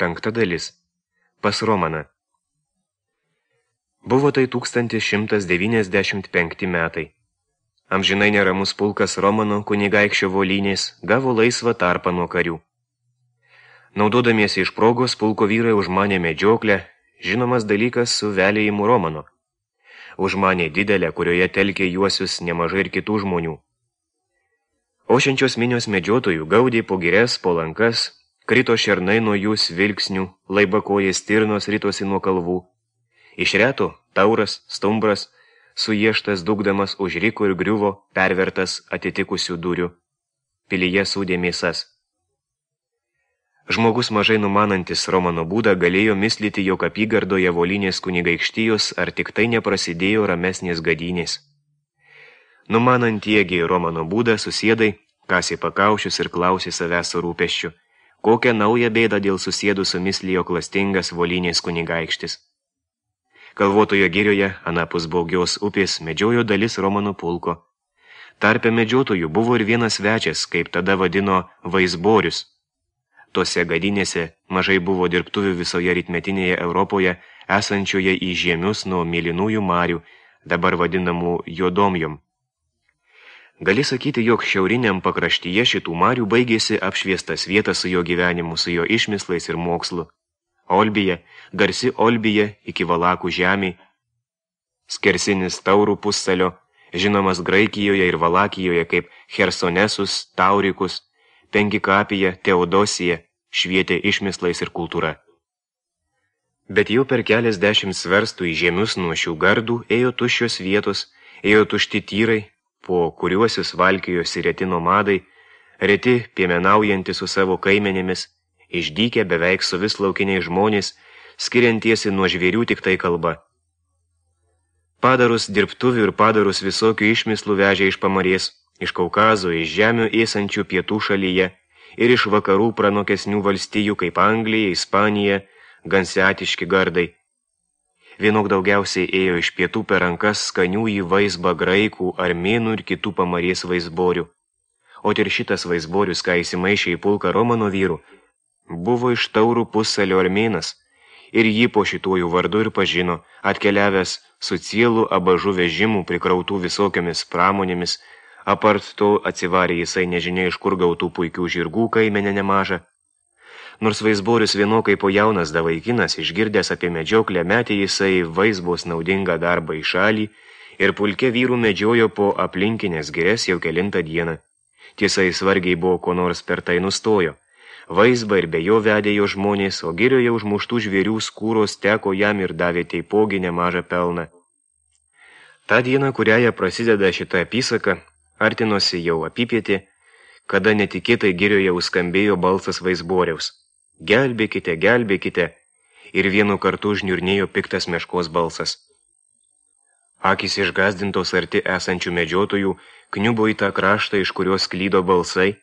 5 dalis. Pas Romaną. Buvo tai 1195 metai. Amžinai neramus pulkas Romano kunigaikščio Volynės gavo laisvą tarpą nuo karių. Naudodamiesi iš progos, pulko vyrai užmanė medžioklę, žinomas dalykas su velėjimu Romano. Užmanė didelę, kurioje telkė juosius nemažai ir kitų žmonių. Ošiančios minios medžiotojų gaudė po girias, po lankas, krito šernai nuo jų svilksnių, laibakojai stirnos ritosi nuo kalvų. Iš reto tauras, stumbras, suieštas dugdamas užriko ir griuvo, pervertas atitikusių durių. Pilyje sūdė mėsas. Žmogus mažai numanantis Romano būdą galėjo mislyti, jog apygardoje Volynės kunigaikštijos ar tik tai neprasidėjo ramesnės gadynės. Numanantiegi Romano būdą susėdai, kasė pakaušius ir klausė savęs su rūpesčiu, kokią naują bėdą dėl susėdų sumislijo klastingas Volynės kunigaikštis. Kalvotojo girioje, anapus Baugios upės, medžiojo dalis Romano pulko. Tarpe medžiotojų buvo ir vienas svečias, kaip tada vadino Vaizborius. Tose gadynėse mažai buvo dirbtuvių visoje rytmetinėje Europoje, esančioje į žiemius nuo mėlynųjų marių, dabar vadinamų Juodomjom. Gali sakyti, jog šiauriniam pakraštyje šitų marių baigėsi apšviestas vietas su jo gyvenimu, su jo išmislais ir mokslu. Olbija, garsi Olbija iki Valakų žemė, skersinis Taurų pussalio, žinomas Graikijoje ir Valakijoje kaip Hersonesus, Taurikus, Pengikapija, Teodosija, švietė išmislais ir kultūra. Bet jau per keliasdešimt sverstų į žemius nuo šių gardų ėjo tuščios vietos, ėjo tušti tyrai, po kuriuosius valkijosi reti nomadai, reti piemenaujanti su savo kaimenėmis, išdykę beveik su vis laukiniai žmonės, skiriantiesi nuo žvėrių tik tai kalba. Padarus dirbtuvių ir padarus visokių išmislų vežė iš Pamarės, iš Kaukazo, iš žemių esančių pietų šalyje ir iš vakarų pranokesnių valstijų kaip Anglija, Ispanija, gansiatiški gardai. Vienok daugiausiai ėjo iš pietų per rankas skanių į vaizbą graikų, armėnų ir kitų Pamarės vaizborių. O ir šitas vaizborius, ką įsimaišė į pulką Romano vyrų, buvo iš Taurų pussalio armėnas ir jį po šituojų vardu ir pažino, atkeliavęs su cielų abažų vežimų prikrautų visokiomis pramonėmis, apart to atsivarė jisai nežinia iš kur gautų puikių žirgų kaimenę nemažą. Nors vaizborius vienokai po jaunas davaikinas, išgirdęs apie medžioklę, metė jisai vaizbos naudingą darbą į šalį ir pulke vyrų medžiojo po aplinkinės girias jau kelintą dieną. Tiesa, jis vargiai buvo ko nors per tai nustojo. Vaizbą ir be jo vedė jo žmonės, o girioje užmuštų žvėrių skūros teko jam ir davė teipogi nemažą pelną. Ta diena, kuriąją prasideda šita apysaka, artinosi jau apipietė, kada netikėtai girioje užskambėjo balsas vaizboriaus. Gelbėkite, gelbėkite, ir vienu kartu žniurnėjo piktas meškos balsas. Akys išgazdintos arti esančių medžiotojų kniubo į tą kraštą, iš kurios klydo balsai,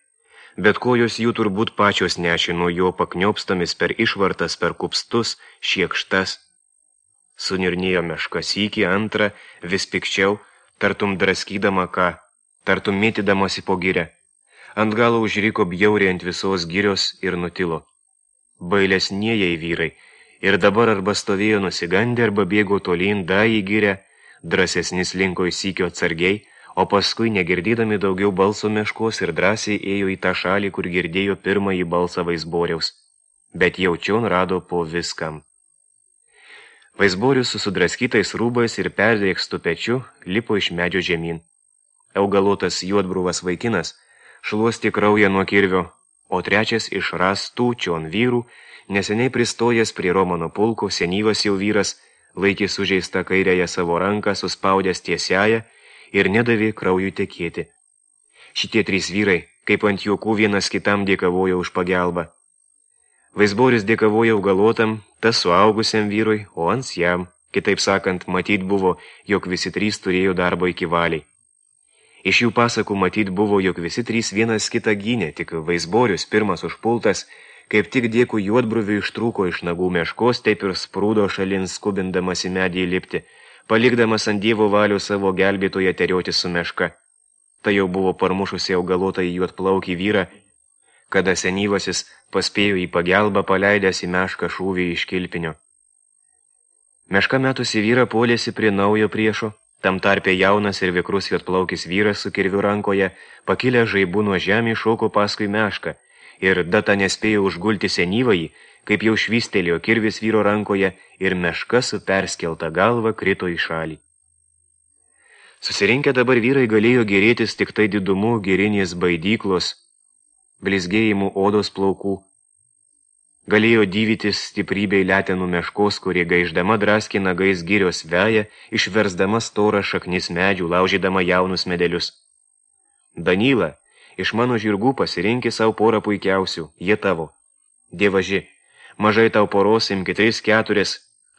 bet kojos jų turbūt pačios nešė nuo jo pakniopstomis per išvartas, per kupstus, šiekštas. Suniurnėjo meška sykį, antrą, vis pikčiau, tartum draskydama ką, tartum mėtydamasi po girę. Ant galo užriko bjauriai ant visos girios ir nutilo. Bailesnieji vyrai, ir dabar arba stovėjo nusigandę, arba bėgo tolyn da į girę, drąsesni slinko į sykio atsargiai, o paskui, negirdydami daugiau balso meškos, ir drąsiai ėjo į tą šalį, kur girdėjo pirmąjį balsą vaizboriaus, bet jaučion rado po viskam. Vaizborius su sudraskytais rūbais ir perdrėkstų pečiu lipo iš medžio žemyn. Augalotas juodbruvas vaikinas šluosti kraują nuo kirvio, o trečias iš rastų čion vyrų, neseniai pristojęs prie Romano pulko, senyvas jau vyras, laikė sužeistą kairėje savo ranką, suspaudęs tiesiąją ir nedavė kraujui tekėti. Šitie trys vyrai, kaip ant juokų vienas kitam dėkavojo už pagelbą. Vaizborius dėkavojo augalotam, tas suaugusiam vyrui, o ans jam, kitaip sakant, matyt buvo, jog visi trys turėjo darbo iki valiai. Iš jų pasakų matyt buvo, jog visi trys vienas kitą gynė, tik Vaizborius, pirmas užpultas, kaip tik dėkų juodbruvių ištrūko iš nagų meškos, taip ir sprūdo šalin skubindamas į medį įlipti, palikdamas ant Dievo valių savo gelbėtoje terioti su meška. Tai jau buvo parmušusi augalotą į juodplaukį vyrą, kada senyvasis paspėjo į pagelbą paleidęs į mešką šūvį iš kilpinio. Meška metusi vyrą puolėsi prie naujo priešo, tam tarpe jaunas ir vikrus juodplaukis vyras su kirviu rankoje, pakilę žaibu nuo žemį šoko paskui mešką, ir data nespėjo užgulti senyvąjį, kaip jau švystelėjo kirvis vyro rankoje ir meška su perskelta galva krito į šalį. Susirinkę dabar vyrai galėjo gerėtis tik tai didumu girinės baidyklos, blizgėjimų odos plaukų. Galėjo dyvytis stiprybei letenų meškos, kurie gaiždama draskė nagais girios veja, išversdama storą šaknis medžių, laužydama jaunus medelius. Danyla, iš mano žirgų pasirinkė savo porą puikiausių, jie tavo. Dievaži, mažai tau poros, imki 3-4,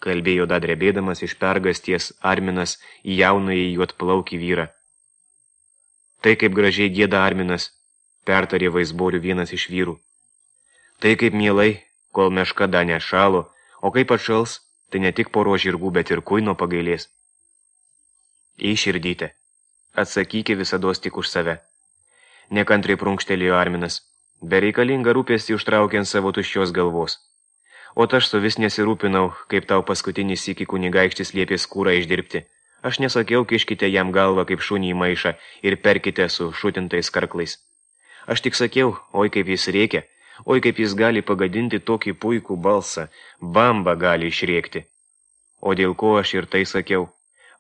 kalbėjo dadrebėdamas iš pergasties Arminas į jaunąjį juodplaukį vyrą. Tai kaip gražiai gieda Arminas, pertarė vaizborių vienas iš vyrų. Tai kaip mielai, kol meška dar nešalo, o kaip atšals, tai ne tik poro žirgų, bet ir kuino pagailės. Į širdytę, atsakykė visados tik už save. Nekantriai prunkštelėjo Arminas, bereikalingą rūpestį užtraukiant savo tuščios galvos. O aš su vis nesirūpinau, kaip tau paskutinį sykį kunigaikštis liepė skūrą išdirbti. Aš nesakiau, kiškite jam galvą kaip šunį į maišą ir perkite su šutintais karklais. Aš tik sakiau, oi kaip jis rėkia, oi kaip jis gali pagadinti tokį puikų balsą, bamba gali išrėkti. O dėl ko aš ir tai sakiau?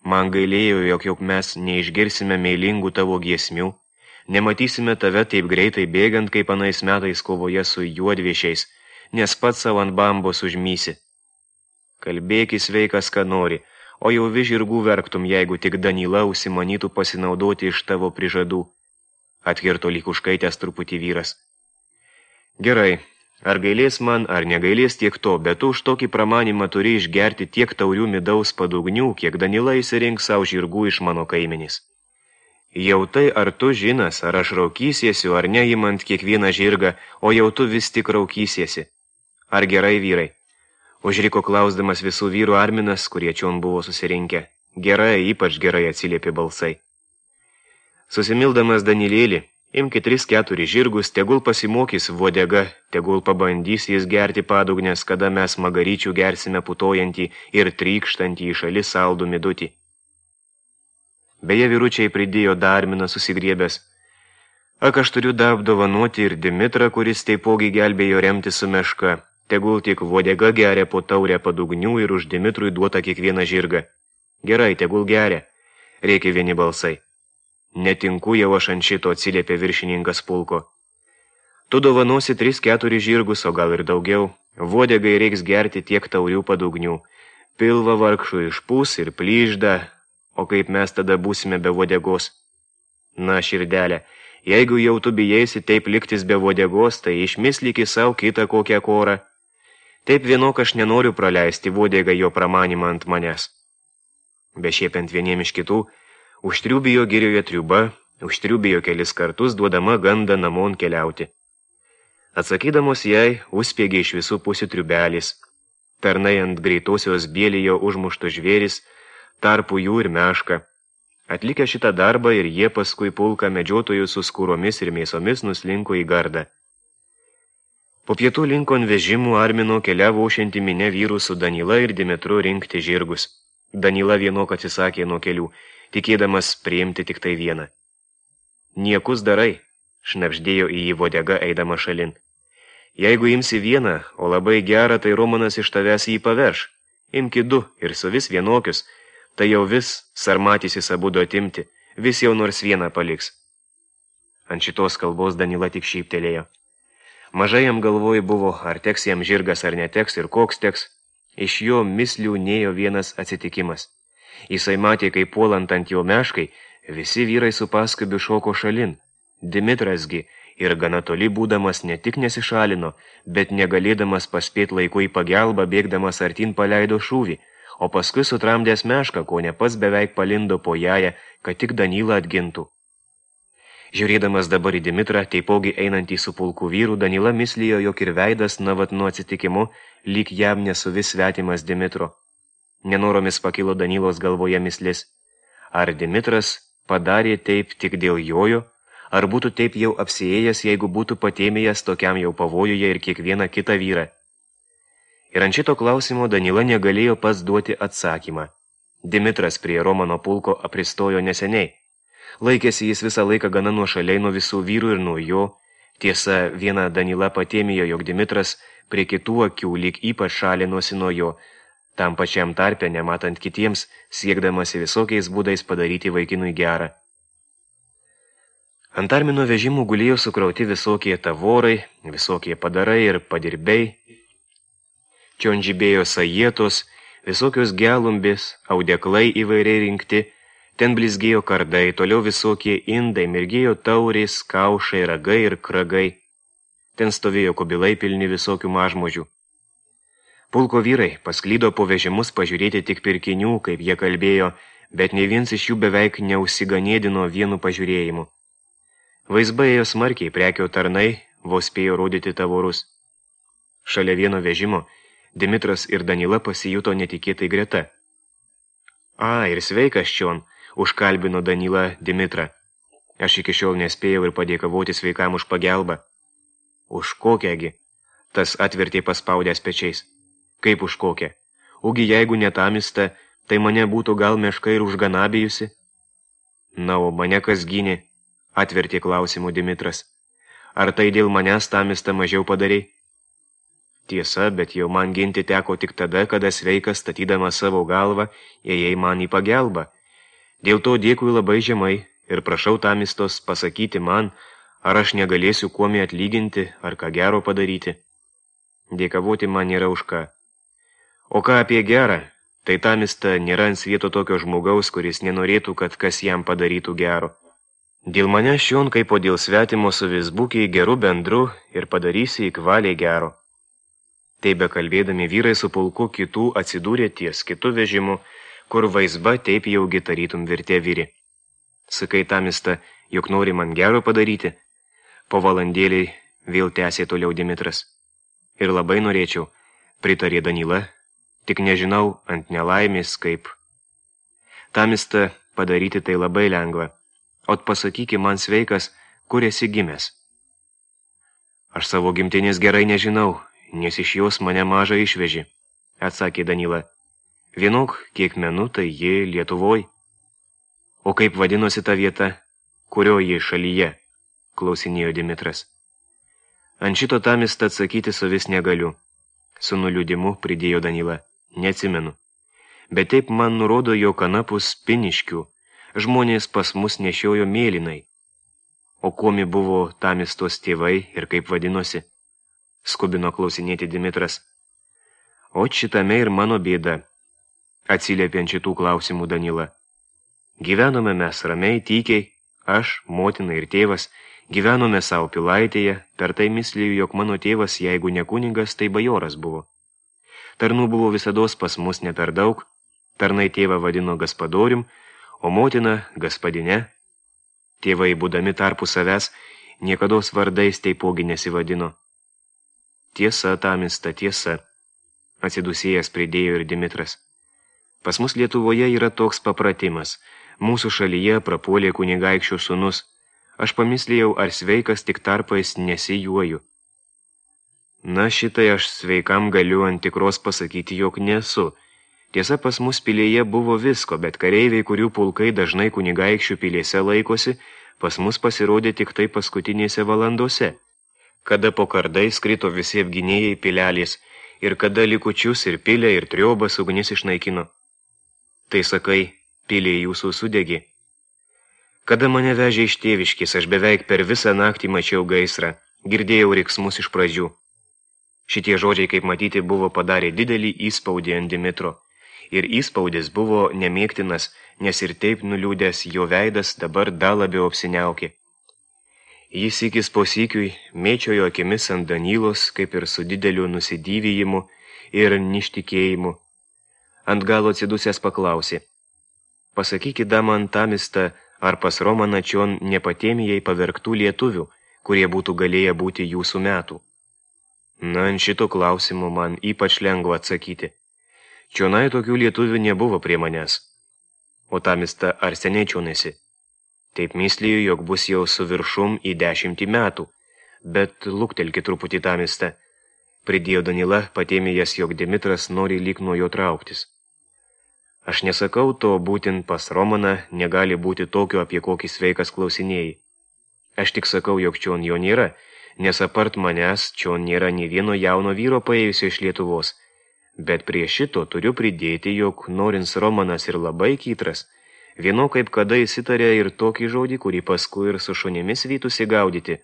Man gailėjo, jog mes neišgirsime meilingų tavo giesmių, nematysime tave taip greitai bėgant, kaip anais metais kovoje su juodviešiais, nes pats savo ant bambos užmysi. Kalbėkis sveikas, ką nori, o jau vis žirgų verktum, jeigu tik Danyla užsimanytų pasinaudoti iš tavo prižadų. Atkirto lyg užkaitęs truputį vyras. Gerai, ar gailės man, ar negailės tiek to, bet tu už tokį pramanimą turi išgerti tiek taurių midaus padugnių, kiek Danyla įsirink savo žirgų iš mano kaimenys. Jau tai, ar tu žinas, ar aš raukysiesiu, ar neimant kiekvieną žirgą, o jau tu vis tik raukysiesi. Ar gerai, vyrai? Užriko klausdamas visų vyrų Arminas, kurie čion buvo susirinkę. Gerai, ypač gerai atsiliepė balsai. Susimildamas Danylėlį, imki 3-4 žirgus, tegul pasimokys vodega, tegul pabandys jis gerti padugnės, kada mes magaryčių gersime putojantį ir trykštantį į šalį saldų midutį. Beje, vyručiai pridėjo Arminas susigriebęs. Ak, aš turiu apdovanoti ir Dimitrą, kuris taipogi gelbėjo remti su meška. Tegul tik vodega geria po taurę padugnių ir už Dimitrui duota kiekvieną žirgą. Gerai, tegul geria, rėkė vieni balsai. Netinku jau aš ant šito, atsiliepė viršininkas pulko. Tu dovanosi 3-4 žirgus, o gal ir daugiau. Vodegai reiks gerti tiek taurių padugnių. Pilva vargšų išpūs ir plyžda, o kaip mes tada būsime be vodegos? Na, širdelė, jeigu jau tu bijėsi taip liktis be vodegos, tai išmislyki savo kitą kokią korą. Taip vienok aš nenoriu praleisti vodegą jo pramanimą ant manęs. Bešiepiant vieniem iš kitų, užtriubijo girioje triuba, užtriubijo kelis kartus, duodama gandą namon keliauti. Atsakydamos jai, užspiegė iš visų pusių triubelis. Pernai ant greitosios bėlijo užmušto žvėris, tarpu jų ir meška. Atlikę šitą darbą ir jie paskui pulką medžiotojų su skūromis ir mėsomis nuslinko į gardą. Po pietų linkon vežimų Armino keliavo ošianti minė vyrų su Danyla ir Dimitru rinkti žirgus. Danyla vienok atsisakė nuo kelių, tikėdamas priimti tik tai vieną. Niekus darai, šnabždėjo į jį vodega eidama šalin. Jeigu imsi vieną, o labai gerą, tai Romanas iš tavęs jį paverš. Imki 2 ir su vis vienokius, tai jau vis sarmatysis abudu atimti, vis jau nors vieną paliks. Ant šitos kalbos Danyla tik šyptelėjo. Mažai jam galvoj buvo, ar teks jam žirgas ar neteks ir koks teks. Iš jo mislių nėjo vienas atsitikimas. Jisai matė, kaip puolant ant jo meškai, visi vyrai su paskubiu šoko šalin. Dimitrasgi ir gana toli būdamas ne tik nesišalino, bet negalėdamas paspėt laiku į pagelbą, bėgdamas artin paleido šūvį, o paskui sutramdęs mešką, ko ne pats beveik palindo po jają, kad tik Danyla atgintų. Žiūrėdamas dabar į Dimitrą, taipogi einantį su pulku vyrų, Danyla mislijo, jog ir veidas navat nuo atsitikimu, lyg jam nesuvis svetimas Dimitro. Nenoromis pakilo Danylos galvoje mislis. Ar Dimitras padarė taip tik dėl jojo, ar būtų taip jau apsiėjęs, jeigu būtų patėmėjęs tokiam jau pavojuje ir kiekvieną kitą vyrą. Ir ant šito klausimo Danila negalėjo pats duoti atsakymą. Dimitras prie Romano pulko apristojo neseniai. Laikėsi jis visą laiką gana nuošaliai nuo visų vyrų ir nuo jo. Tiesa, viena Danila patėmėjo, jog Dimitras prie kitų akių lyg ypač šalinosi nuo jo, tam pačiam tarpe, nematant kitiems, siekdamasi visokiais būdais padaryti vaikinui gerą. Ant Armino vežimų gulėjo sukrauti visokie tavorai, visokie padarai ir padirbei. Čion žibėjo sajietos, visokios gelumbės, audeklai įvairiai rinkti, ten blizgėjo kardai, toliau visokie indai, mirgėjo taurės, kaušai, ragai ir kragai. Ten stovėjo kubilai pilni visokių mažmožių. Pulko vyrai pasklydo po vežimus pažiūrėti tik pirkinių, kaip jie kalbėjo, bet nei viens iš jų beveik neužsiganėdino vienu pažiūrėjimu. Vaizba ėjo smarkiai, prekio tarnai vos spėjo rodyti tavorus. Šalia vieno vežimo Dimitras ir Danila pasijuto netikėtai greta. Ir sveikas čion, užkalbino Danila Dimitrą. Aš iki šiol nespėjau ir padėkavoti sveikam už pagelbą. Už kokiągi? Tas atvertė paspaudęs pečiais. Kaip už kokią? Ugi jeigu netamista, tai mane būtų gal meška ir užganabėjusi? Na, o mane kas gynė? Atvertė klausimų Dimitras. Ar tai dėl manęs tamista mažiau padarei? Tiesa, bet jau man ginti teko tik tada, kada sveikas statydama savo galvą, ėjai man į pagelbą. Dėl to dėkui labai žemai ir prašau tamistos pasakyti man, ar aš negalėsiu kuomi atlyginti, ar ką gero padaryti. Dėkavoti man nėra už ką. O ką apie gerą, tai tamista nėra ant svieto tokio žmogaus, kuris nenorėtų, kad kas jam padarytų gero. Dėl mane šion, kaip o dėl svetimo su visbukiai geru bendru ir padarysi įkvaliai gero. Taip bekalbėdami vyrai su pulku kitų atsidūrė ties kitų vežimų, kur vaizba taip jau gitarytum virtė vyri. Sakai tamista, juk nori man gero padaryti. Po valandėliai vėl tęsė toliau Dimitras. Ir labai norėčiau, pritarė Danila, tik nežinau ant nelaimės kaip. Tamista, padaryti tai labai lengva. Ot pasakyki man sveikas, kur esi gimęs. Aš savo gimtinės gerai nežinau, nes iš jos mane mažą išveži, atsakė Danila. Vienok, kiek menu, tai ji Lietuvoj. O kaip vadinosi ta vieta, kurio ji šalyje, klausinėjo Dimitras. Ant šito tamista atsakyti savis negaliu. Su nuliūdimu pridėjo Danila. Neatsimenu. Bet taip man nurodo, jog anapus Piniškių žmonės pas mus nešiojo mėlynai. O kuomi buvo tamistos tėvai ir kaip vadinosi? Skubino klausinėti Dimitras. O šitame ir mano bėda, atsiliepė ant šitų klausimų Danila. Gyvenome mes ramiai, tykiai, aš, motina ir tėvas, gyvenome savo pilaitėje, per tai mislijų, jog mano tėvas, jeigu ne kunigas, tai bajoras buvo. Tarnų buvo visados pas mus ne per daug, tarnai tėvą vadino gaspadorium, o motina gaspadine. Tėvai, būdami tarpu savęs, niekados vardais taipogi nesivadino. Tiesa, tamista, tiesa, atsidusėjęs pridėjo ir Dimitras. Pas mus Lietuvoje yra toks papratimas. Mūsų šalyje prapuolė kunigaikščio sūnus. Aš pamislėjau, ar sveikas tik tarpais nesijuoju. Na, šitai aš sveikam galiu ant tikros pasakyti, jog nesu. Tiesa, pas mus pilėje buvo visko, bet kareiviai, kurių pulkai dažnai kunigaikščių pilėse laikosi, pas mus pasirodė tik tai paskutinėse valandose. Kada po kardais krito visi apginėjai pilelės ir kada likučius ir pilę ir triobas ugnis išnaikino. Tai sakai, pilė jūsų sudegė. Kada mane vežė iš tėviškės, aš beveik per visą naktį mačiau gaisrą, girdėjau riksmus iš pradžių. Šitie žodžiai, kaip matyti, buvo padarę didelį įspaudį ant Dimitro. Ir įspaudis buvo nemėgtinas, nes ir taip nuliūdęs jo veidas dabar dar labiau apsiniaukė. Jis įkis po sykiui mėčiojo akimis ant Danilos, kaip ir su dideliu nusidyvijimu ir ništikėjimu. Ant galo atsidusęs paklausė. Pasakykit man tamista, ar pas Romaną čion nepatėmijai pavergtų lietuvių, kurie būtų galėję būti jūsų metų. Na, ant šito klausimo man ypač lengva atsakyti. Čionai tokių lietuvių nebuvo prie manęs. O tamista, ar seniai čionesi? Taip mysliju, jog bus jau su viršum į 10 metų, bet luktelki truputį tamiste. Pridėjo Danila, patėmėjęs, jog Dimitras nori lyg nuo jo trauktis. Aš nesakau to, būtent pas Romaną negali būti tokio, apie kokį sveikas klausinėjai. Aš tik sakau, jog čion jo nėra, nes apart manęs čion nėra nei vieno jauno vyro paėjusio iš Lietuvos. Bet prie šito turiu pridėti, jog norins Romanas ir labai kytras, vieno kaip kada įsitarė ir tokį žodį, kurį paskui ir su šunimis vytusi gaudyti.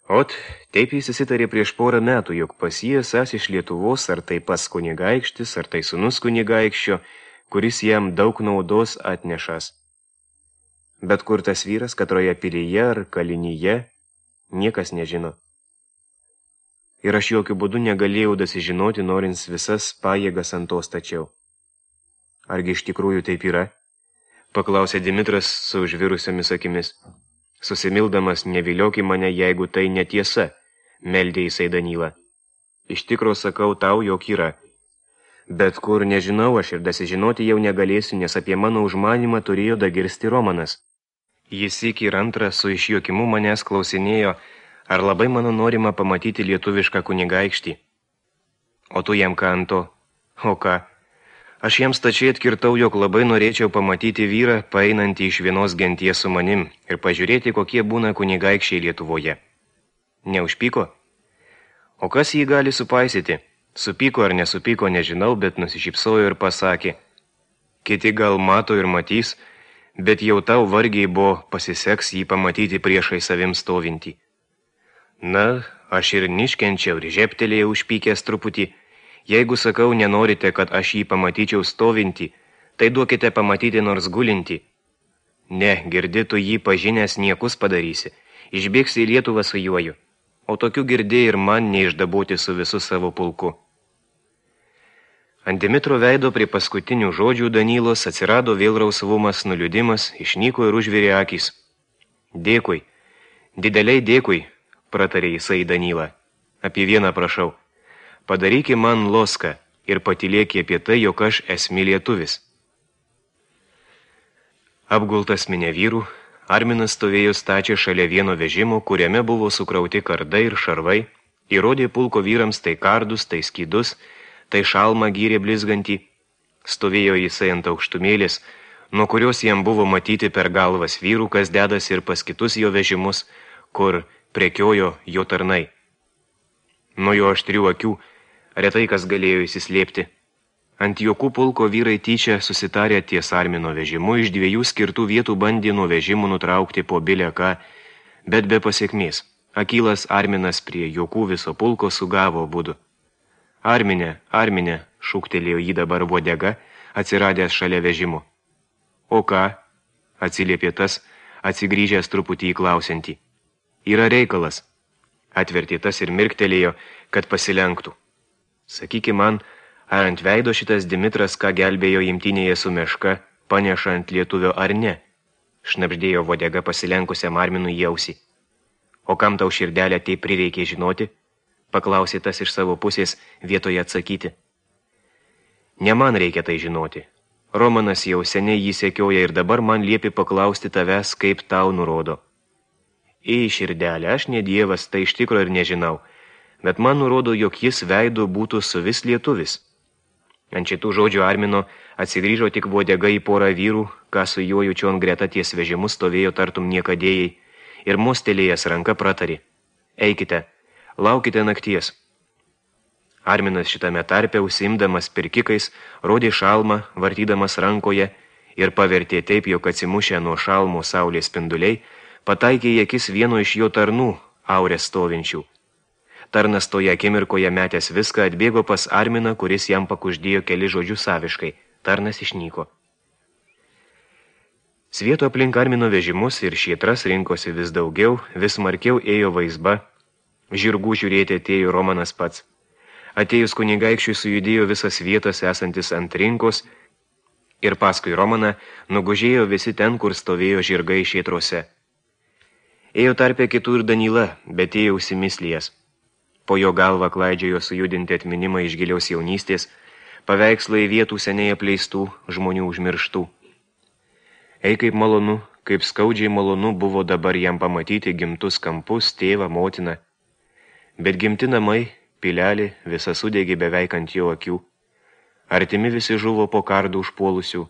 Ot, taip jis įsitarė prieš porą metų, jog pas jį esąs iš Lietuvos, ar tai pas kunigaikštis, ar tai sūnus kunigaikščio, kuris jam daug naudos atnešas. Bet kur tas vyras, katroje pilyje ar kalinyje, niekas nežino. Ir aš jokių būdų negalėjau dasižinoti, norins visas pajėgas ant to stačiau. Argi iš tikrųjų taip yra? Paklausė Dimitras su užvirusiomis akimis. Susimildamas, nevilioki mane, jeigu tai netiesa, meldė jisai Danylą. Iš tikro sakau tau, jog yra. Bet kur nežinau, aš ir dasižinoti jau negalėsiu, nes apie mano užmanimą turėjo dagirsti Romanas. Jis iki ir antrą su išjuokimu manęs klausinėjo, ar labai mano norima pamatyti lietuvišką kunigaikštį. O tu jam ką ant to? O ką? Aš jam stačiai atkirtau, jog labai norėčiau pamatyti vyrą, paeinantį iš vienos genties su manim ir pažiūrėti, kokie būna kunigaikščiai Lietuvoje. Neužpyko? O kas jį gali supaisyti? Supyko ar nesupyko, nežinau, bet nusišypsojo ir pasakė. Kiti gal mato ir matys, bet jau tau vargiai buvo pasiseks jį pamatyti priešai savim stovintį. Na, aš ir niškenčiau ir žeptelėjau užpykęs truputį. Jeigu sakau, nenorite, kad aš jį pamatyčiau stovintį, tai duokite pamatyti nors gulintį. Ne, girdi, tu jį pažinęs niekus padarysi, išbėgsi į Lietuvą su juoju, o tokių girdė ir man neišdabūti su visu savo pulku. Ant Dimitro veido prie paskutinių žodžių Danylos atsirado vėl rausvumas, nuliūdimas, išnyko ir užvirė akys. Dėkui, dideliai dėkui, pratarė jisai Danylą. Apie vieną prašau. Padaryki man loską ir patylėki apie tai, jog aš esmi lietuvis. Apgultas minė vyrų, Arminas stovėjo stačią šalia vieno vežimo, kuriame buvo sukrauti kardai ir šarvai, įrodė pulko vyrams tai kardus, tai skydus, tai šalmą gyrė blizgantį. Stovėjo jisai ant aukštumėlės, nuo kurios jam buvo matyti per galvas vyrų, kas dedas ir pas kitus jo vežimus, kur prekiojo jo tarnai. Nuo jo aštrių akių retai kas galėjo įsislėpti. Ant jokų pulko vyrai tyčia susitarė ties Armino vežimu, iš 2 skirtų vietų bandė nuo vežimų nutraukti po bilę ką, bet be pasiekmės. Akylas Arminas prie jokų viso pulko sugavo abudu. Armine, Armine, šūktelėjo jį dabar Vodega, atsiradęs šalia vežimo. O ką? Atsiliepė tas, atsigrįžęs truputį įklausiantį. Yra reikalas. Atvertė tas ir mirktelėjo, kad pasilenktų. Sakyki man, ar ant veido šitas Dimitras, ką gelbėjo imtinėje su meška, paneša ant lietuvio ar ne? Šnabždėjo Vodega pasilenkusiam Arminui į ausį. O kam tau širdelę tai prireikė žinoti? Paklausė tas iš savo pusės vietoje atsakyti. Ne man reikia tai žinoti. Romanas jau seniai jį sekioja ir dabar man liepi paklausti tavęs, kaip tau nurodo. Į širdelę, aš ne dievas, tai iš tikro ir nežinau, bet man nurodo, jog jis veidu būtų suvis lietuvis. Ant šitų žodžių Armino atsigrįžo tik Vodega į porą vyrų, ką su juo čion greta ties vežimus stovėjo tartum niekadėjai, ir mostelėjęs ranka pratarė. Eikite, laukite nakties. Arminas šitame tarpe, užsiimdamas pirkikais, rodė šalmą, vartydamas rankoje, ir pavertė taip, jog atsimušę nuo šalmo saulės spinduliai, pataikė į akis vieno iš jo tarnų, aurės stovinčių. Tarnas toje akimirkoje metęs viską atbėgo pas Arminą, kuris jam pakuždėjo keli žodžius saviškai. Tarnas išnyko. Svieto aplink Armino vežimus ir šietras rinkosi vis daugiau, vis smarkiau ėjo vaizba. Žirgų žiūrėti atėjo Romanas pats. Atėjus kunigaikščiui sujudėjo visas vietas esantis ant rinkos ir paskui Romaną nugužėjo visi ten, kur stovėjo žirgai šietrose. Ėjo tarpe kitų ir Danyla, bet ėjo užsimislijęs. Po jo galvą klaidžiojo sujudinti atminimą iš giliaus jaunystės, paveikslai vietų seniai apleistų, žmonių užmirštų. Ei, kaip malonu, kaip skaudžiai malonu buvo dabar jam pamatyti gimtus kampus, tėvą, motiną. Bet gimti namai, pilelį, visa sudegė beveik ant jo akių. Artimi visi žuvo po kardų užpuolusių.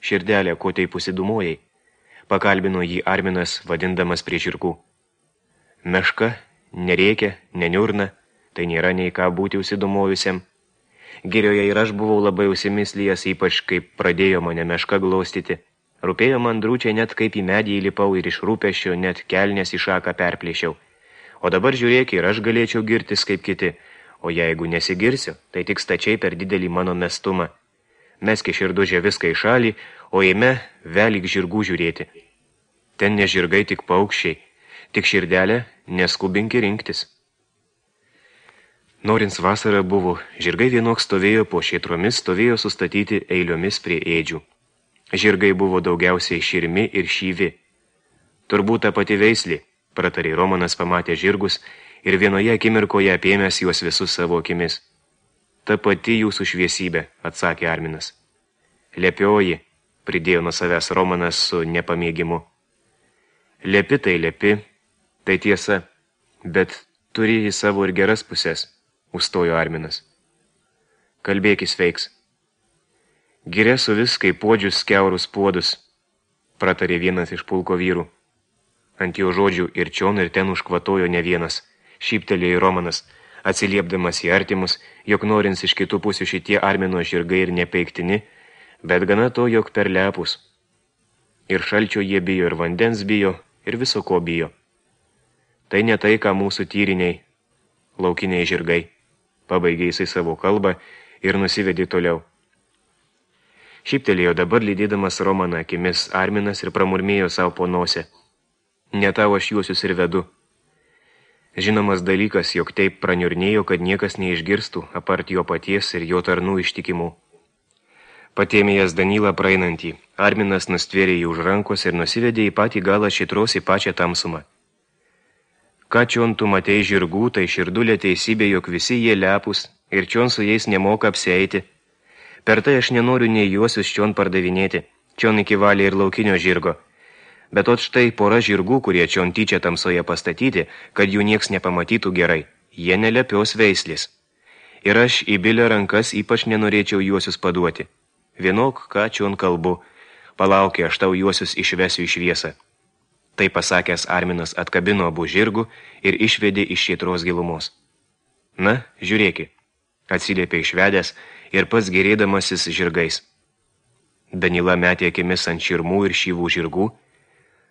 Širdelė, ko taip užsidumojai? Pakalbino jį Arminas, vadindamas prie žirgų. Meška, nerėkia, neniurna, tai nėra nei ką būti užsidumojusiam. Girioje ir aš buvau labai užsimislijęs, ypač kaip pradėjo mane meška glaustyti. Rūpėjo man drūčiai net kaip į medį įlipau ir iš rūpesčio net kelnes į šaką perplėšiau. O dabar žiūrėk, ir aš galėčiau girtis kaip kiti, o jeigu nesigirsiu, tai tik stačiai per didelį mano mestumą. Meski širdužė viską į šalį, o eime velyk žirgų žiūrėti. Ten ne žirgai, tik paukščiai, tik širdelė, neskubinki rinktis. Norins vasara buvo, žirgai vienok stovėjo po šėtromis, stovėjo sustatyti eiliomis prie ėdžių. Žirgai buvo daugiausiai širmi ir šyvi. Turbūt ta pati veislė, pratarė Romanas, pamatė žirgus ir vienoje akimirkoje apėmęs juos visus savo akimis. Ta pati jūsų šviesybė, atsakė Arminas. Lepioji, pridėjo nuo savęs Romanas su nepamėgimu. Lepi tai lepi, tai tiesa, bet turi į savo ir geras pusės, užstojo Arminas. Kalbėkis veiks. Giria su vis kaip puodžius skiaurus puodus, pratarė vienas iš pulko vyrų. Ant jo žodžių ir čion ir ten užkvatojo ne vienas, šyptelėjo Romanas, atsiliepdamas į artimus, jog norins iš kitų pusių šitie Armino žirgai ir nepeiktini, bet gana to, jog per lepus. Ir šalčio jie bijo, ir vandens bijo, ir viso ko bijo. Tai ne tai, ką mūsų tyriniai, laukiniai žirgai, pabaigė jisai savo kalbą ir nusivedė toliau. Šyptelėjo dabar lydėdamas Romaną akimis Arminas ir pramurmėjo savo po nosę. Ne tau aš juosius ir vedu. Žinomas dalykas, jog taip praniurnėjo, kad niekas neišgirstų, apart jo paties ir jo tarnų ištikimų. Patėmėjęs Danylą praeinantį, Arminas nustvėrė jį už rankos ir nusivedė į patį galą šitros į pačią tamsumą. Ką čion tu matei žirgų, tai širdulė teisybė, jog visi jie lepus ir čion su jais nemoka apsieiti. Per tai aš nenoriu nei juosius čion pardavinėti, čion iki valė ir laukinio žirgo. Bet ot štai pora žirgų, kurie čion tyčia tamsoje pastatyti, kad jų nieks nepamatytų gerai, jie nelepios veislės. Ir aš į bilio rankas ypač nenorėčiau juosius paduoti. Vienok, ką čion kalbu, palaukė, aš tau juosius išvesiu į šviesą. Tai pasakęs Arminas atkabino abu žirgų ir išvedė iš šėtros gilumos. Na, žiūrėki, atsiliepė išvedęs ir pats gerėdamasis žirgais. Danila metė akimis ant širmų ir šyvų žirgų,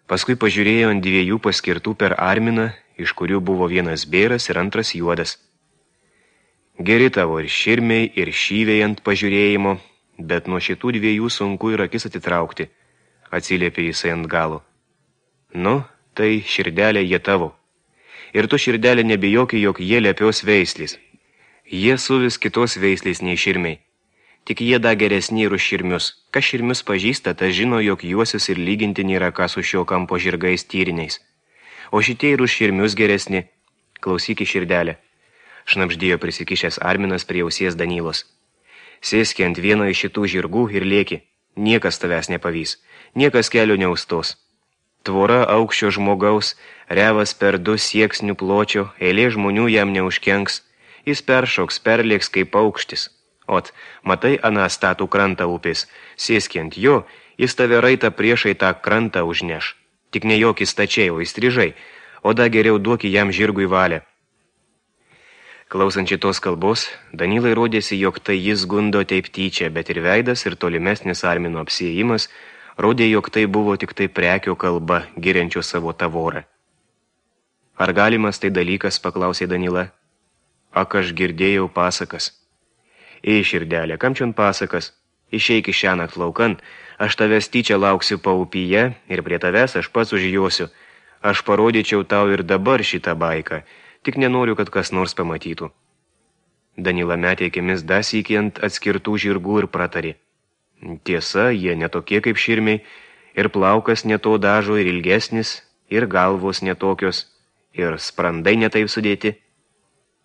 paskui pažiūrėjo ant dviejų paskirtų per Arminą, iš kurių buvo vienas bėras ir antras juodas. Geri tavo ir širmiai, ir šyviai ant pažiūrėjimo, bet nuo šitų dviejų sunku ir akis atitraukti, atsiliepė jisai ant galo. Nu, tai širdelė jie tavo. Ir tu širdelė nebijoki, jog jie lepios veislės. Jie suvis kitos veislės nei širmiai. Tik jie da geresni ir už širmius. Kas širmius pažįsta, tas žino, jog juosius ir lyginti nėra ką su šio kampo žirgais tyriniais. O šitie ir už širmius geresni. Klausyki širdelę. Šnapždėjo prisikišęs Arminas prie ausies Danylos. Sėski ant vieno iš šitų žirgų ir lėki. Niekas tavęs nepavys. Niekas kelio neustos. Tvora aukščio žmogaus, revas per 2 sieksnių pločio, eilė žmonių jam neužkenks. Jis peršoks, perlėks kaip paukštis. Ot, matai aną statų krantą upės, sėski ant jo, jis tave raitą priešai tą krantą užneš. Tik ne jokį stačiai, o įstrižai, o da geriau duoki jam žirgui valią. Klausant šitos kalbos, Danylai rodėsi, jog tai jis gundo taip tyčia, bet ir veidas ir tolimesnis Armino apsiėjimas rodė, jog tai buvo tik tai prekio kalba, giriančio savo tavorą. Ar galimas tai dalykas, paklausė Danyla. Ak, aš girdėjau pasakas. Ei, širdelė, kam čion pasakas? Išeik iš šiąnakt laukan, aš tavęs tyčia lauksiu paupyje ir prie tavęs aš pats užjosiu. Aš parodyčiau tau ir dabar šitą baiką, tik nenoriu, kad kas nors pamatytų. Danila metė akimis dasykį ant atskirtų žirgų ir pratarė. Tiesa, jie netokie kaip širmiai, ir plaukas neto dažo ir ilgesnis, ir galvos netokios, ir sprandai netaip sudėti.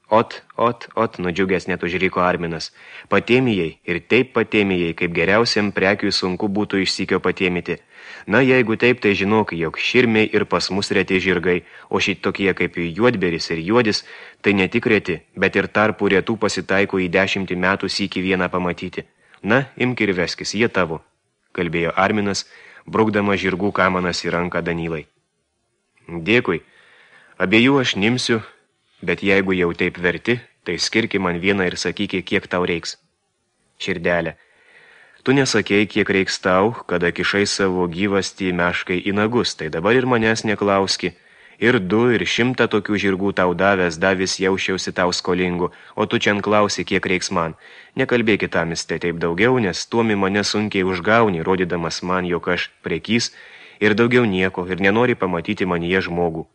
Ot, nudžiugęs net užriko Arminas. Patėmijai ir taip patėmijai, kaip geriausiam prekiui sunku būtų išsykio patėmyti. Na, jeigu taip, tai žinok, jog širmiai ir pas mus reti žirgai, o šitokie kaip juodberis ir juodis, tai ne tik reti, bet ir tarpų retų pasitaiko į 10 metų sykį vieną pamatyti. Na, imk ir veskis, jie tavo, kalbėjo Arminas, brukdama žirgų kamanas į ranką Danylai. Dėkui, abiejų aš nimsiu, bet jeigu jau taip verti, tai skirki man vieną ir sakyki, kiek tau reiks. Širdelė, tu nesakei, kiek reiks tau, kada kišai savo gyvastį meškai į nagus, tai dabar ir manęs neklauski. Ir 2, ir 100 tokių žirgų tau davęs, davis jaušiausi tau skolingu, o tu čia klausi, kiek reiks man. Nekalbėkit tamiste taip daugiau, nes tuomi mane sunkiai užgauni, rodydamas man, jog aš prekys, ir daugiau nieko, ir nenori pamatyti manyje žmogų.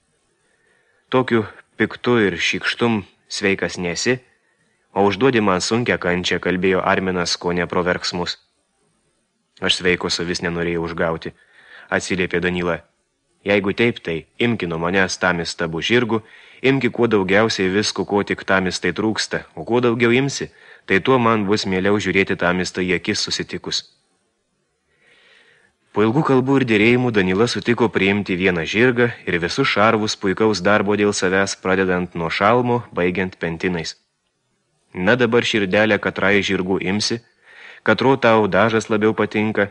Tokiu piktu ir šykštum sveikas nesi, o užduodi man sunkia kančią, kalbėjo Arminas, ko ne pro verksmus. Aš sveiko vis nenorėjau užgauti, atsiliepė Danyla. Jeigu taip, tai imki nuo manęs tamistabų žirgų, imki kuo daugiausiai visko, ko tik tamistai trūksta, o kuo daugiau imsi, tai tuo man bus mieliau žiūrėti tamistą į akis susitikus. Po ilgų kalbų ir dėrėjimų Danyla sutiko priimti vieną žirgą ir visus šarvus puikaus darbo dėl savęs, pradedant nuo šalmo, baigiant pentinais. Na dabar širdelė, katrai žirgų imsi, katro tau dažas labiau patinka,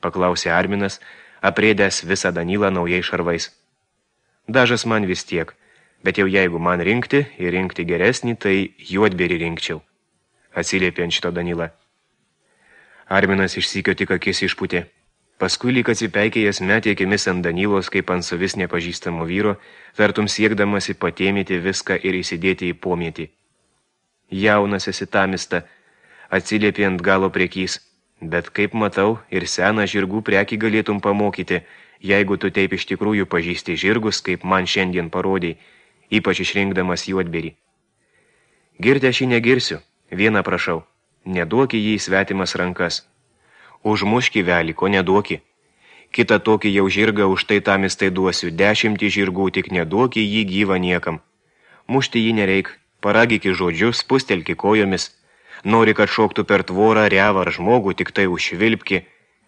paklausė Arminas, aprėdęs visą Danylą naujai šarvais. Dažas man vis tiek, bet jau jeigu man rinkti ir rinkti geresnį, tai juodberį rinkčiau, atsiliepė ant šito Danyla. Arminas išsykio tik akis išputė. Paskui lyg atsipeikėjęs metė akimis ant Danylos, kaip ant savis nepažįstamo vyro, vertum siekdamasi patėmyti viską ir įsidėti į pomėtį. Jaunas esi tamista, atsiliepė ant galo prekys, bet kaip matau, ir seną žirgų prekį galėtum pamokyti, jeigu tu taip iš tikrųjų pažįsti žirgus, kaip man šiandien parodei, ypač išrinkdamas juodberį. Girti aš jį negirsiu, vieną prašau, neduoki jį į svetimas rankas. Užmuški velį, ko neduoki. Kitą tokį jau žirgą už tai tamistai duosiu, 10 žirgų, tik neduoki jį gyvą niekam. Mušti jį nereik, paragiki žodžius, spustelki kojomis. Nori, kad šoktų per tvorą, revą ar žmogų, tik tai užvilpki.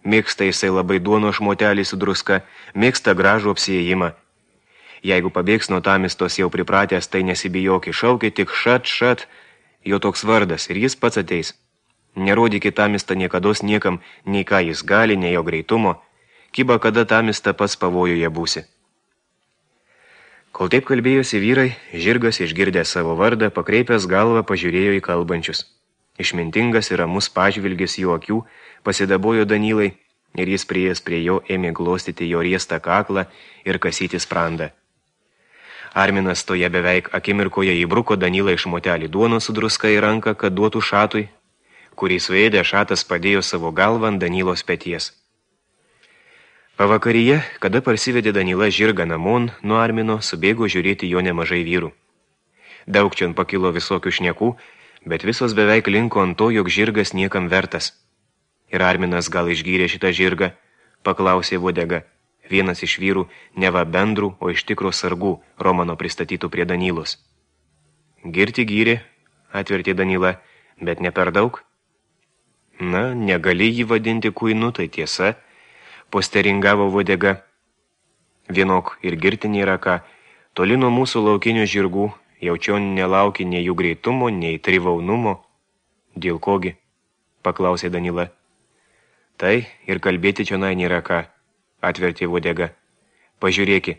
Mėgsta jisai labai duono šmotelį su druska, mėgsta gražų apsiėjimą. Jeigu pabėgs nuo tamistos jau pripratęs, tai nesibijoki, šauki tik šat, jo toks vardas ir jis pats ateis. Nerodykit tamistą niekados niekam, nei ką jis gali, nei jo greitumo, kiba kada tamistą pats pavojuje būsi. Kol taip kalbėjosi vyrai, žirgas išgirdęs savo vardą, pakreipęs galvą pažiūrėjo į kalbančius. Išmintingas ir ramus pažvilgis jų akių pasidabojo Danylai ir jis priėjęs prie jo ėmė glostyti jo riestą kaklą ir kasyti sprandą. Arminas toje beveik akimirkoje įbruko Danylą iš motelį duonos su druska į ranką, kad duotų šatui, kurį suėdė šatas padėjo savo galvą ant Danylos peties. Pavakaryje, kada parsivedė Danyla žirgą namon, nuo Armino subėgo žiūrėti jo nemažai vyrų. Daug čion pakilo visokių šnekų, bet visos beveik linko ant to, jog žirgas niekam vertas. Ir Arminas gal išgyrė šitą žirgą, paklausė Vodega, vienas iš vyrų, neva bendrų, o iš tikro sargų, Romano pristatytų prie Danylos. Girti gyrė, atvertė Danyla, bet ne per daug. Na, negali jį vadinti kuinu, tai tiesa, posteringavo Vodega. Vienok ir girti nėra ką, toli nuo mūsų laukinių žirgų, jaučion nelauki nei jų greitumo, nei trivaunumo. Dėl kogi? Paklausė Danyla. Tai ir kalbėti čionai nėra ką, atvertė Vodega. Pažiūrėki,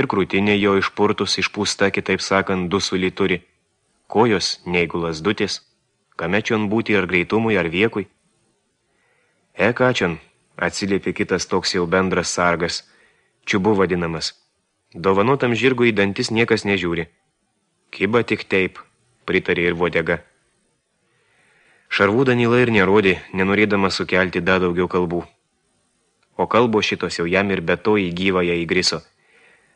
ir krūtinė jo išpurtus, išpūsta, kitaip sakant, dusulį turi. Kojos, neigu lasdutės, kame čion būti ar greitumui, ar viekui. Ką čion, atsiliepė kitas toks jau bendras sargas, čiubu vadinamas. Dovanotam žirgui į dantis niekas nežiūri. Kiba tik taip, pritarė ir Vodega. Šarvų Danyla ir nerodė, nenorėdama sukelti dar daugiau kalbų. O kalbo šitos jau jam ir be to į gyvąją įgriso.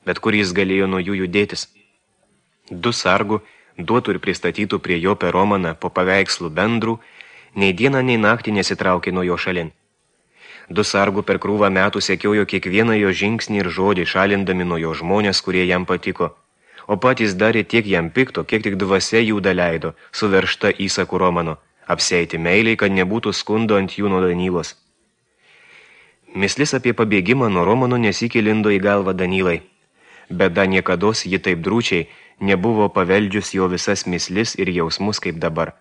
Bet kur jis galėjo nuo jų judėtis? 2 sargų duotų ir pristatytų prie jo per Romaną po paveikslų bendrų, nei dieną, nei naktį nesitraukė nuo jo šalin. 2 sargų per krūvą metų sekiojo kiekvieną jo žingsnį ir žodį, šalindami nuo jo žmonės, kurie jam patiko, o patys darė tiek jam pikto, kiek tik dvasia jų daleido, suveršta įsakų Romano, apseiti meiliai, kad nebūtų skundo ant jų nuo Danylos. Mislis apie pabėgimą nuo Romano nesikį lindo į galvą Danylai, bet da niekados ji taip drūčiai nebuvo paveldžius jo visas mislis ir jausmus kaip dabar.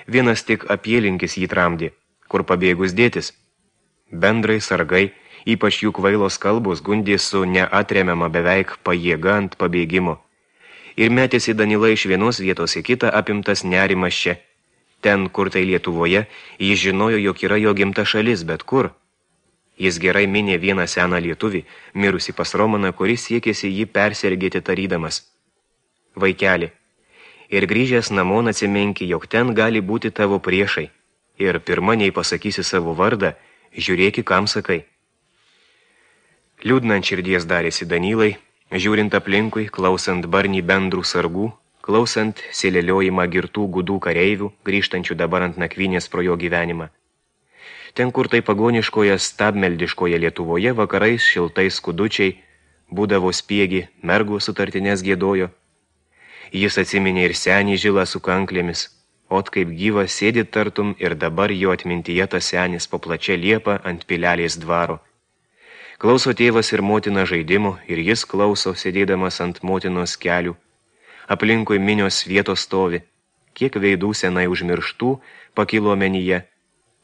Vienas tik apielinkis jį tramdė, kur pabėgus dėtis. Bendrai sargai, ypač jų kvailos kalbos, gundė su neatremiama beveik pajėga ant pabėgimo. Ir metėsi Danila iš vienos vietos į kitą apimtas nerimas čia. Ten, kur tai Lietuvoje, jis žinojo, jog yra jo gimta šalis, bet kur? Jis gerai minė vieną seną lietuvį, mirusi pas Romaną, kuris siekėsi jį persergėti tarydamas. Vaikeli, ir grįžęs namon atsiminki, jog ten gali būti tavo priešai, ir pirma nei pasakysi savo vardą, žiūrėki, kam sakai. Liūdnant širdies darėsi Danylai, žiūrint aplinkui, klausant barnį bendrų sargų, klausant sėleliojimą girtų gudų kareivių, grįžtančių dabar ant nakvynės pro jo gyvenimą. Ten, kur tai pagoniškoje stabmeldiškoje Lietuvoje vakarais šiltais skudučiai būdavo spiegi, mergų sutartinės gėdojo. Jis atsiminė ir senį žilą su kanklėmis, ot kaip gyvas sėdi tartum ir dabar jo atmintyje tas senis po plačia liepa ant pilelės dvaro. Klauso tėvas ir motina žaidimų ir jis klauso, sėdėdamas ant motinos kelių. Aplinkui minios vietos stovi, kiek veidų senai užmirštų pakilo omenyje.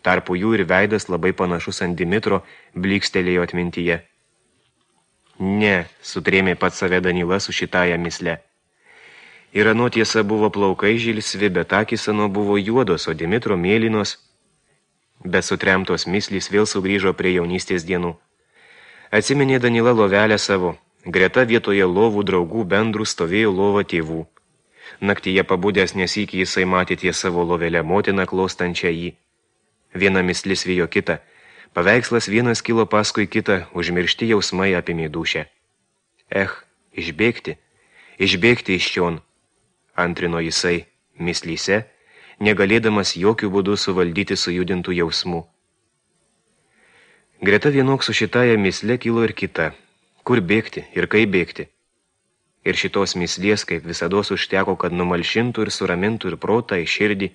Tarpu jų ir veidas labai panašus ant Dimitro blykstelėjo atmintyje. Ne, sutrėmė pats save Danyla su šitąją misle. Ir ano tiesa buvo plaukai žilsvi, bet akys ano buvo juodos, o Dimitro mėlynos. Bet sutremtos mislys vėl sugrįžo prie jaunystės dienų. Atsiminė Danyla lovelę savo. Greta vietoje lovų draugų bendrų stovėjo lova tėvų. Naktyje pabudęs nesikį jisai matė ties savo lovelę motiną klostančią jį. Viena mislis vijo kitą, paveikslas vienas kilo paskui kitą, užmiršti jausmai apimė dūšę. Išbėgti iš čion, antrino jisai mislyse, negalėdamas jokių būdų suvaldyti sujudintų jausmų. Greta vienok su šitąją misle kilo ir kita, kur bėgti ir kaip bėgti. Ir šitos mislės, kaip visados užteko, kad numalšintų ir suramintų ir protą, ir širdį.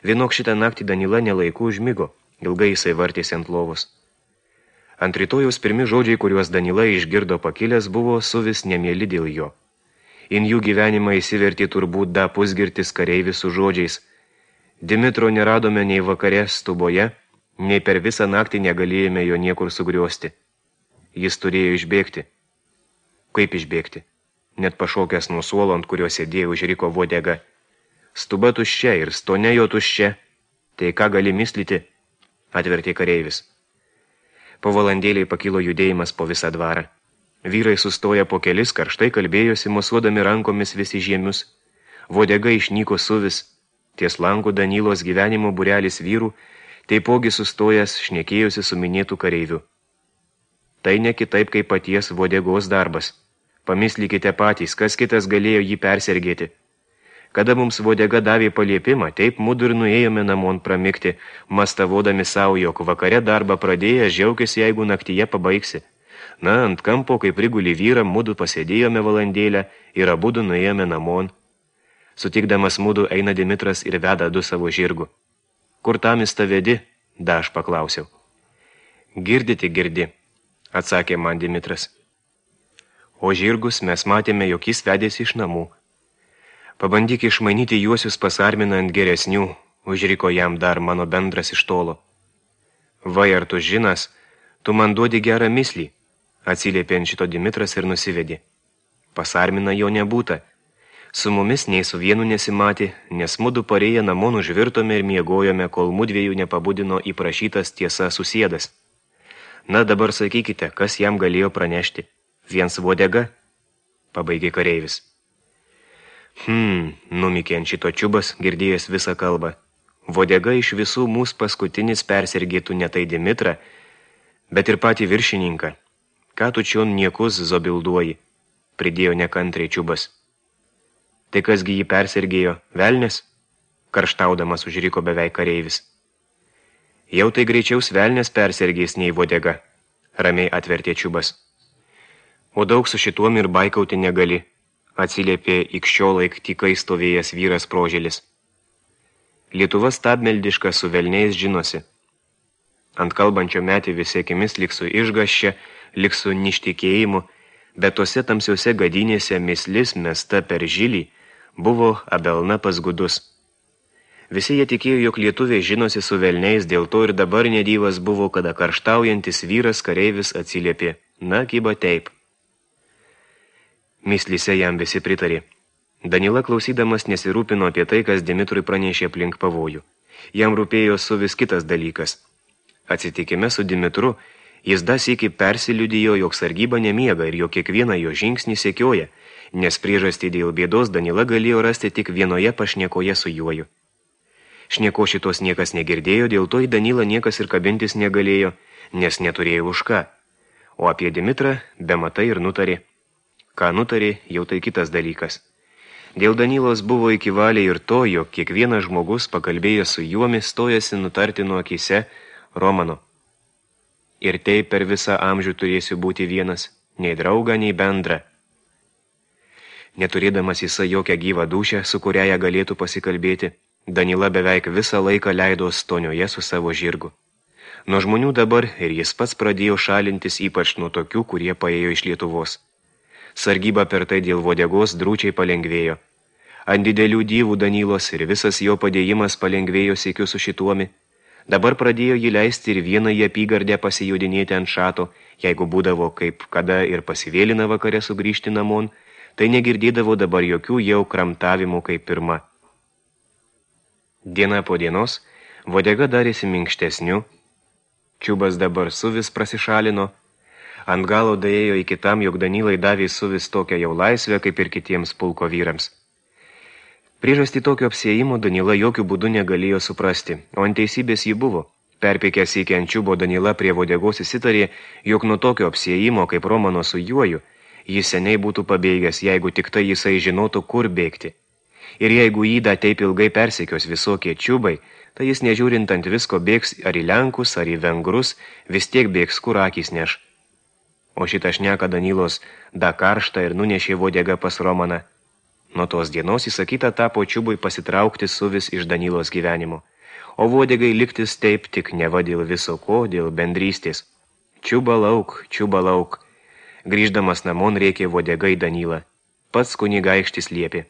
Vienok šitą naktį Danila nelaiku užmigo, ilgai jisai vartėsi ant lovos. Ant rytojaus pirmi žodžiai, kuriuos Danila išgirdo pakilęs, buvo suvis nemėli dėl jo. In jų gyvenimą įsivertė turbūt da pusgirtis kareivis su žodžiais. Dimitro neradome nei vakare stuboje, nei per visą naktį negalėjome jo niekur sugriosti. Jis turėjo išbėgti. Kaip išbėgti? Net pašokęs nuo suolo, ant kurio sėdėjo, užriko vodega. Stuba tuščia ir stone jo tuščia. Tai ką gali mislyti? Atvertė kareivis. Po valandėliai pakilo judėjimas po visą dvarą. Vyrai sustoja po kelis, karštai kalbėjosi, mosuodami rankomis visi žiemius. Vodega išnyko suvis. Ties langų Danylos gyvenimo būrelis vyrų, taipogi sustojęs šnekėjosi su minėtų kareiviu. Tai ne kitaip kaip paties vodegos darbas. Pamislykite patys, kas kitas galėjo jį persergėti. Kada mums vodega davė paliepimą, taip mudu ir nuėjome namon pramikti, mastavodami savo, jog vakare darbą pradėję, žiaukis, jeigu naktyje pabaigsi. Na, ant kampo, kai priguli vyrą, mudu pasėdėjome valandėlę ir abudu nuėjome namon. Sutikdamas mudu eina Dimitras ir veda du savo žirgų. Kur tamis ta vedi? Da, aš paklausiau. Girdi, atsakė man Dimitras. O žirgus mes matėme, jog jis vedėsi iš namų. Pabandyk išmainyti juosius pas Arminą ant geresnių, užriko jam dar mano bendras iš tolo. Vai, ar tu žinas, tu man duodi gerą mislį, atsiliepė ant šito Dimitras ir nusivedė. Pas Arminą jo nebūta. Su mumis nei su vienu nesimatė, nes mudu parėję namon užvirtome ir miegojome, kol mudviejų nepabudino įprašytas tiesa susėdas. Na, dabar sakykite, kas jam galėjo pranešti? Viens vodega? Pabaigė kareivis. Numikė ant šito čiubas, girdėjęs visą kalbą. Vodega iš visų mūsų paskutinis persergėtų ne tai Dimitrą, bet ir patį viršininką. Ką tu čion niekus zobilduoji, pridėjo nekantriai čiubas. Tai kasgi jį persergėjo, velnis? Karštaudamas užriko beveik kareivis. Jau tai greičiaus velnės persergės nei vodega, ramiai atvertė čiubas. O daug su šituom ir baikauti negali. atsiliepė ikščiolaik tykai stovėjęs vyras Prožėlis. Lietuva stabmeldiška su velniais žinosi. Ant kalbančio metį visi akimis lyg su išgaščia, lyg su ništikėjimu, bet tose tamsiuose gadynėse mislis mesta per žilį buvo abelna pas gudus. Visi jie tikėjo, jog lietuviai žinosi su velniais, dėl to ir dabar nedievas buvo, kada karštaujantis vyras kareivis atsiliepė. Na, kyba taip. Mislyse jam visi pritarė. Danila klausydamas nesirūpino apie tai, kas Dimitrui pranešė aplink pavojų. Jam rūpėjo su vis kitas dalykas. Atsitikime su Dimitru, jis dasykį persiliudijo, jog sargyba nemiega ir jog kiekvieną jo žingsnį sekioja, nes priežastį dėl bėdos Danila galėjo rasti tik vienoje pašnekoje su juoju. Šneko šitos niekas negirdėjo, dėl to į Danilą niekas ir kabintis negalėjo, nes neturėjo už ką. O apie Dimitrą bematai ir nutarė. Ką nutarė, jau tai kitas dalykas. Dėl Danilos buvo įkivaliai ir to, jog kiekvienas žmogus pakalbėjęs su juomi stojasi nutarti nuo akise Romano. Ir taip per visą amžių turėsiu būti vienas, nei draugą, nei bendrą. Neturėdamas jisai jokią gyvą dūšią, su kuria ją galėtų pasikalbėti, Danila beveik visą laiką leido stonioje su savo žirgu. Nuo žmonių dabar ir jis pats pradėjo šalintis, ypač nuo tokių, kurie paėjo iš Lietuvos. Sargyba per tai dėl vodegos drūčiai palengvėjo. Ant didelių dyvų Danilos ir visas jo padėjimas palengvėjo siekiu su šituomi. Dabar pradėjo jį leisti ir vieną į apygardę pasijudinėti ant šato, jeigu būdavo kaip kada ir pasivėlina vakare sugrįžti namon, tai negirdėdavo dabar jokių jau kramtavimų kaip pirma. Diena po dienos vodega darėsi minkštesniu, čiubas dabar suvis prasišalino, ant galo daėjo iki tam, jog Danilai davė suvis tokią jau laisvę, kaip ir kitiems pulko vyrams. Priežastį tokio apsiėjimo Danila jokių būdų negalėjo suprasti, o ant teisybės ji buvo. Perpėkęs iki ant čiubo Danila prie vodegos įsitarė, jog nuo tokio apsiėjimo, kaip Romano su juoju, jis seniai būtų pabėgęs, jeigu tik tai jisai žinotų, kur bėgti. Ir jeigu jį taip ilgai persekios visokie čiubai, tai jis nežiūrint ant visko bėgs ar į Lenkus, ar į Vengrus, vis tiek bėgs, kur akys neš. O šitą šneką Danilos da karštą ir nunešė vodega pas Romaną. Nuo tos dienos įsakyta tapo čiubui pasitraukti suvis iš Danilos gyvenimo, o vodegai liktis taip tik neva dėl viso ko, dėl bendrystės. Čiuba lauk. Grįždamas namon rėkė vodegai Danilą. Pats kunigaikštis liepė.